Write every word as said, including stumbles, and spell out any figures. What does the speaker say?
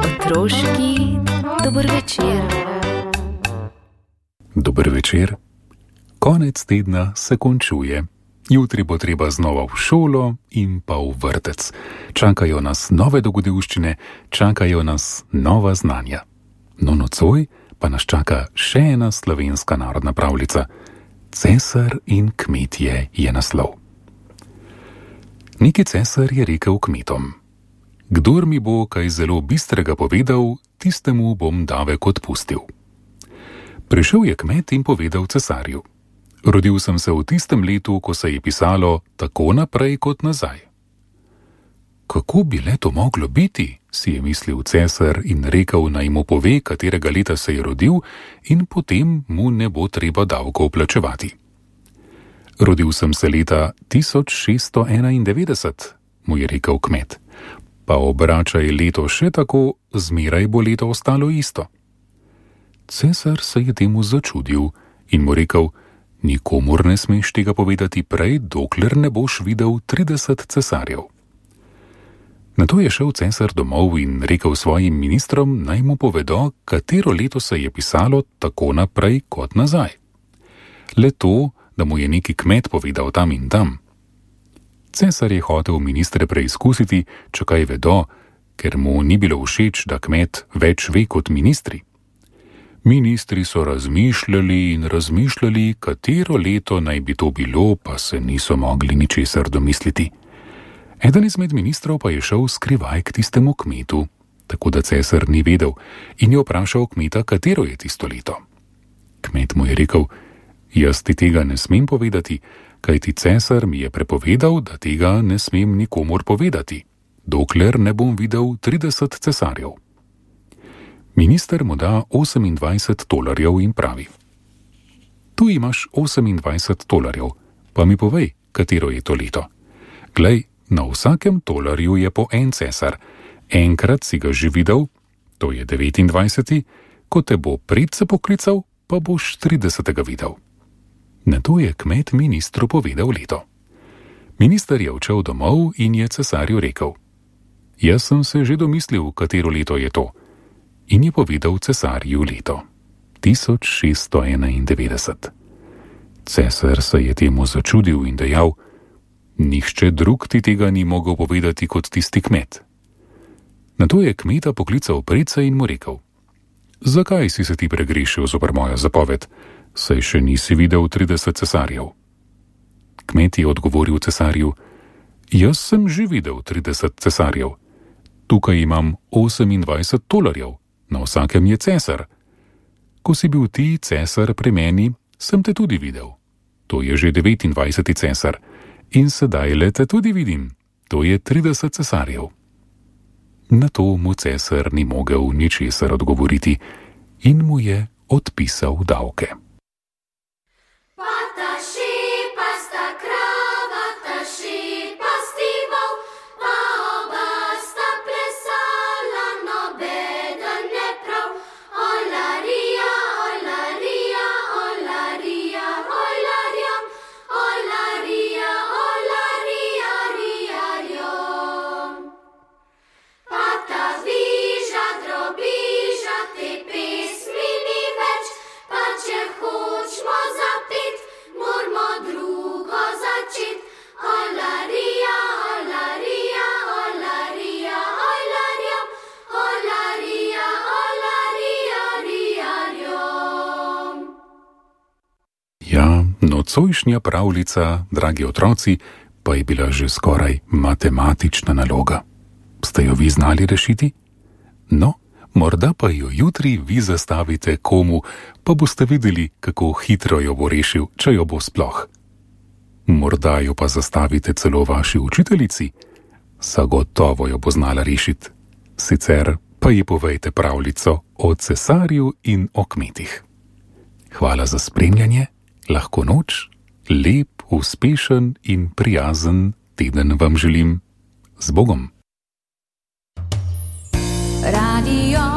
Otroški dober večer. Dober večer. Konec tedna se končuje. Jutri bo treba znova v šolo in pa v vrtec. Čakajo nas nove dogodivščine, čakajo nas nova znanja. No nocoj pa nas čaka še ena slovenska narodna pravljica. Cesar in kmetje je naslov. Neki cesar je rekel kmetom: Kdor mi bo kaj zelo bistrega povedal, tistemu bom davek odpustil. Prišel je kmet in povedal cesarju: Rodil sem se v tistem letu, ko se je pisalo tako naprej kot nazaj. Kako bi le to moglo biti, si je mislil cesar in rekel, naj mu pove, katerega leta se je rodil, in potem mu ne bo treba davkov plačevati. Rodil sem se leta tisoč šeststo enaindevetdeset, mu je rekel kmet. Pa obračaj leto še tako, zmeraj bo leto ostalo isto. Cesar se je temu začudil in mu rekel: Nikomur ne smeš tega povedati prej, dokler ne boš videl trideset cesarjev. Nato je šel cesar domov in rekel svojim ministrom, naj mu povedo, katero leto se je pisalo tako naprej kot nazaj. Le to, da mu je neki kmet povedal tam in tam. Cesar je hotel ministre preizkusiti, če kaj vedo, ker mu ni bilo všeč, da kmet več ve kot ministri. Ministri so razmišljali in razmišljali, katero leto naj bi to bilo, pa se niso mogli ničesar domisliti. Eden izmed ministrov pa je šel skrivaj k tistemu kmetu, tako da cesar ni vedel, in je vprašal kmeta, katero je tisto leto. Kmet mu je rekel: Jaz ti tega ne smem povedati, kajti cesar mi je prepovedal, da tega ne smem nikomur povedati, dokler ne bom videl trideset cesarjev. Minister mu da osemindvajset tolarjev in pravi: Tu imaš osemindvajset tolarjev, pa mi povej, katero je to leto. Glej, na vsakem tolarju je po en cesar, enkrat si ga že videl, to je devetindvajseti, ko te bo predse poklical, pa boš tridesetega videl. Nato je kmet ministru povedal leto. Minister je odšel domov in je cesarju rekel: Jaz sem se že domislil, katero leto je to. In je povedal cesarju leto. tisoč šeststo enaindevetdeset. Cesar se je temu začudil in dejal: Nihče drug ti tega ni mogel povedati kot tisti kmet. Nato je kmeta poklical predse in mu rekel: Zakaj si se ti pregrešil zoper mojo zapoved, saj še nisi videl trideset cesarjev? Kmet je odgovoril cesarju: Jaz sem že videl trideset cesarjev. Tukaj imam osemindvajset tolarjev, na vsakem je cesar. Ko si bil ti cesar pri meni, sem te tudi videl. To je že devetindvajseti cesar. In sedaj le te tudi vidim, to je trideset cesarjev. Na to mu cesar ni mogel ničesar odgovoriti in mu je odpisal davke. Ja, nocojšnja pravljica, dragi otroci, pa je bila že skoraj matematična naloga. Ste jo vi znali rešiti? No, morda pa jo jutri vi zastavite komu, pa boste videli, kako hitro jo bo rešil, če jo bo sploh. Morda jo pa zastavite celo vaši učiteljici, zagotovo jo bo znala rešiti. Sicer pa ji povejte pravljico o cesarju in o kmetih. Hvala za spremljanje. Lahko noč, lep, uspešen in prijazen teden vam želim. Z Bogom! Radio